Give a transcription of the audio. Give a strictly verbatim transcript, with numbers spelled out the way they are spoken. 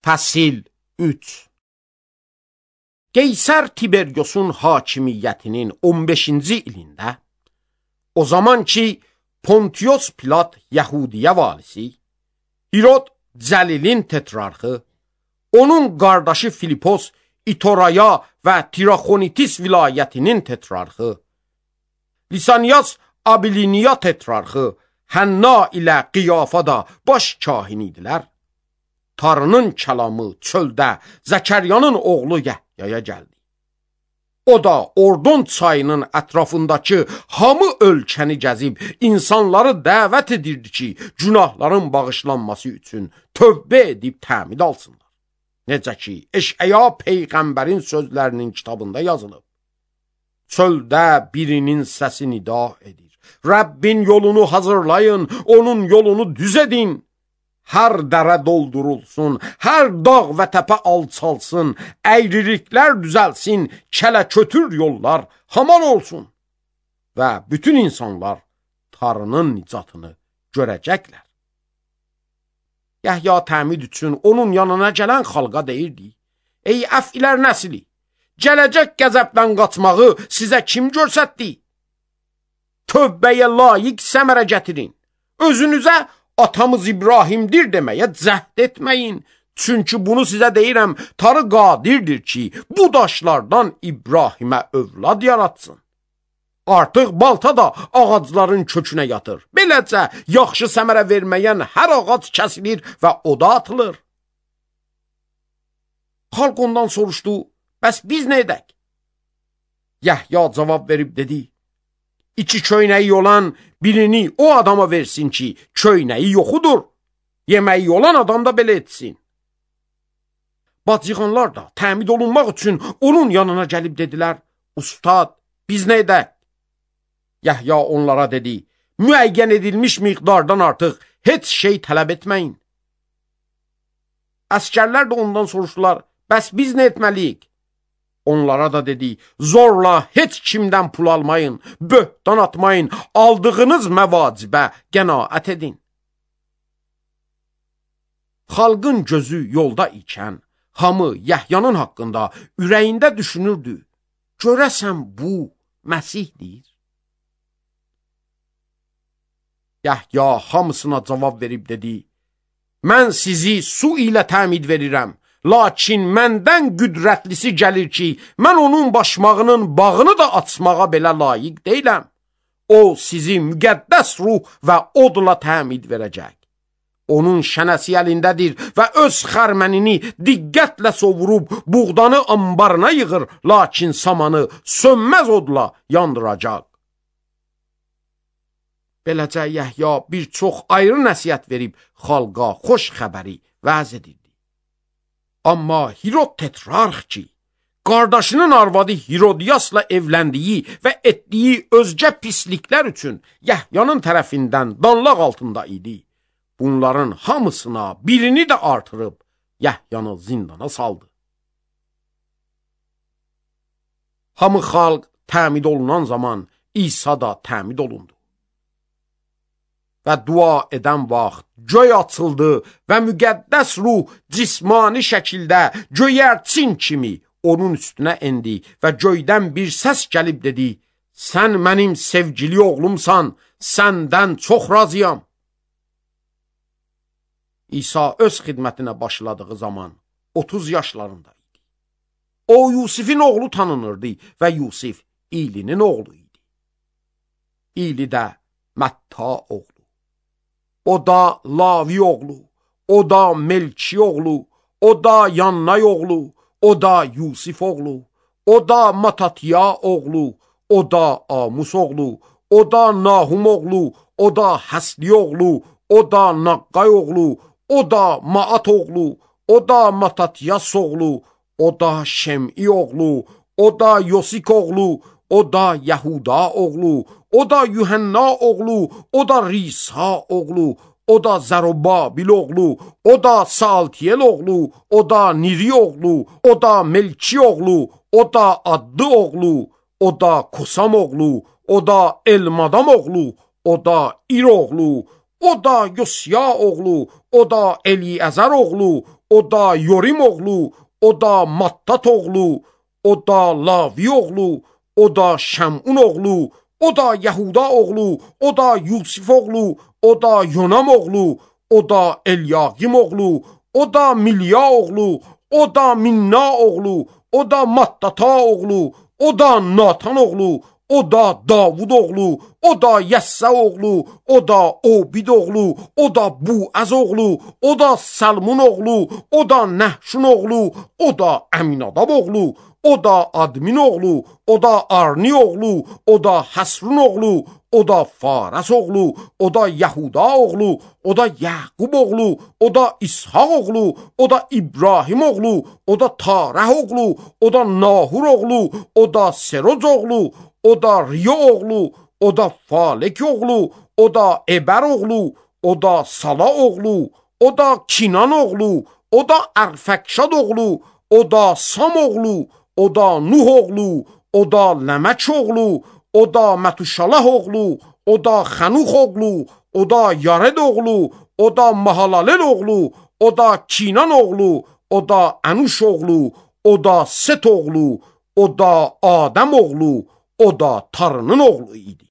Fəsil üç. Qeysər Tiberyosun hakimiyyətinin on beşinci ilində, o zaman ki Pontius Pilat Yahudiyə valisi, Hirod Cəlilin tetrarxı, onun qardaşı Filipos İtoraya və Tiraxonitis vilayətinin tetrarxı, Lisanias Abiliniya tetrarxı, Hənna ilə Qiyafa da baş kahin idilər. Tanrının kəlamı çöldə Zəkəryanın oğlu Yahyaya gəldi. O da Ordon çayının ətrafındakı hamı ölkəni gəzib insanları dəvət edirdi ki, günahların bağışlanması üçün tövbə edib təmid alsınlar. Necə ki, Eşəya peyğəmbərin sözlərinin kitabında yazılıb. Çöldə birinin səsi nida edir. Rəbbin yolunu hazırlayın, onun yolunu düz edin. Hər dərə doldurulsun, hər dağ və təpə alçalsın, əyriliklər düzəlsin, kələ-kötür yollar haman olsun. Və bütün insanlar Tanrının nicatını görəcəklər. Yahya təmid üçün onun yanına gələn xalqa deyirdi: Ey əfilər nəsli, gələcək qəzəbdən qaçmağı sizə kim görsətdi? Tövbəyə layiq səmərə gətirin. Özünüzə atamız İbrahimdir deməyə cəhd etməyin. Çünki bunu sizə deyirəm, Tanrı qadirdir ki, bu daşlardan İbrahimə övlad yaratsın. Artıq balta da ağacların kökünə yatır. Beləcə, yaxşı səmərə verməyən hər ağac kəsilir və oda atılır. Xalq ondan soruşdu, bəs biz nə edək? Yahya cavab verib dedi: İki köynəyi olan birini o adama versin ki, köynəyi yoxudur. Yeməyi olan adam da belə etsin. Bacıqanlar da təmid olunmaq üçün onun yanına gəlib dedilər: Ustad, biz nə edək? Yahya onlara dedi: Müəyyən edilmiş miqdardan artıq heç şey tələb etməyin. Əskərlər də ondan soruşdular: Bəs biz nə etməliyik? Onlara da dedi: Zorla heç kimdən pul almayın, böhtan atmayın, aldığınız məvacibə qənaət edin. Xalqın gözü yolda ikən, hamı Yahyanın haqqında ürəyində düşünürdü: Görəsən bu Məsihdir? Yahya hamısına cavab verib dedi: Mən sizi su ilə təmid verirəm. Lakin məndən qüdrətlisi gəlir ki, mən onun başmağının bağını da açmağa belə layiq deyiləm. O sizi müqəddəs ruh və odla təmid verəcək. Onun şənəsi əlindədir və öz xərmənini diqqətlə sovurub buğdanı ambarına yığır, lakin samanı sönməz odla yandıracaq. Beləcə Yahya bir çox ayrı nəsihət verib xalqa xoş xəbəri vəz edirdi. Amma Hirod tetrarx ki, qardaşının arvadı Hirodiyasla evləndiyi və etdiyi özgə pisliklər üçün Yahyanın tərəfindən danlaq altında idi. Bunların hamısına birini də artırıb Yahyanı zindana saldı. Hamı xalq təmid olunan zaman İsa da təmid olundu. Və dua edən vaxt göy açıldı və müqəddəs ruh cismani şəkildə göyərçin kimi onun üstünə endi və göydən bir səs gəlib dedi: Sən mənim sevgili oğlumsan, səndən çox razıyam. İsa öz xidmətinə başladığı zaman otuz yaşlarında idi. O Yusifin oğlu tanınırdı və Yusif İlinin oğlu idi. İli də Mətta oğlu. O da Lavi oğlu, o da Melki oğlu, o da Yannay oğlu, o da Yusif oğlu, o da Matatiya oğlu, o da Amus oğlu, o da Nahum oğlu, o da Həsli oğlu, o da Naqqay oğlu, o da Maat oğlu, o da Matatiyas oğlu, o da Şem'i oğlu, o da Yosik oğlu, o da Yahuda oğlu, o da Yuhanna oğlu, o da Risa oğlu, o da Zerubabil oğlu, o da Saltiyel oğlu, o da Niri oğlu, o da Melki oğlu, o da Addı oğlu, o da Kosam oğlu, o da Elmadam oğlu, o da İr oğlu, o da Yosya oğlu, o da Eliyəzər oğlu, o da Yorim oğlu, o da Mattat oğlu, o da Lavi oğlu, o da Şəmun oğlu, o da Yahuda oğlu, o da Yusif oğlu, o da Yonam oğlu, o da Elyaqim oğlu, o da Milya oğlu, o da Minna oğlu, o da Mattata oğlu, o da Natan oğlu, o da Davud oğlu, o da Yəssə oğlu, o da Obid oğlu, o da Buaz oğlu, o da Salmun oğlu, o da Nəhşun oğlu, o da Əminadab oğlu, o da Admin oğlu, o da Arni oğlu, o da Hasrun oğlu, o da Faras oğlu, o da Yahuda oğlu, o da Yaqub oğlu, o da İshaq oğlu, o da İbrahim oğlu, o da Tarəh oğlu, o da Nahur oğlu, o da Seroc oğlu, o da Riyo oğlu, o da Falek oğlu, o da Eber oğlu, o da Sala oğlu, o da Kinan oğlu, o da Ərfəkşad oğlu, o da Sam oğlu, o da Nuh oğlu, o da Ləmək oğlu, o da Mətuşalah oğlu, o da Xanux oğlu, o da Yared oğlu, o da Mahalalel oğlu, o da Kinan oğlu, o da Ənuş oğlu, o da Set oğlu, o da Adəm oğlu, o da Tarının oğlu idi.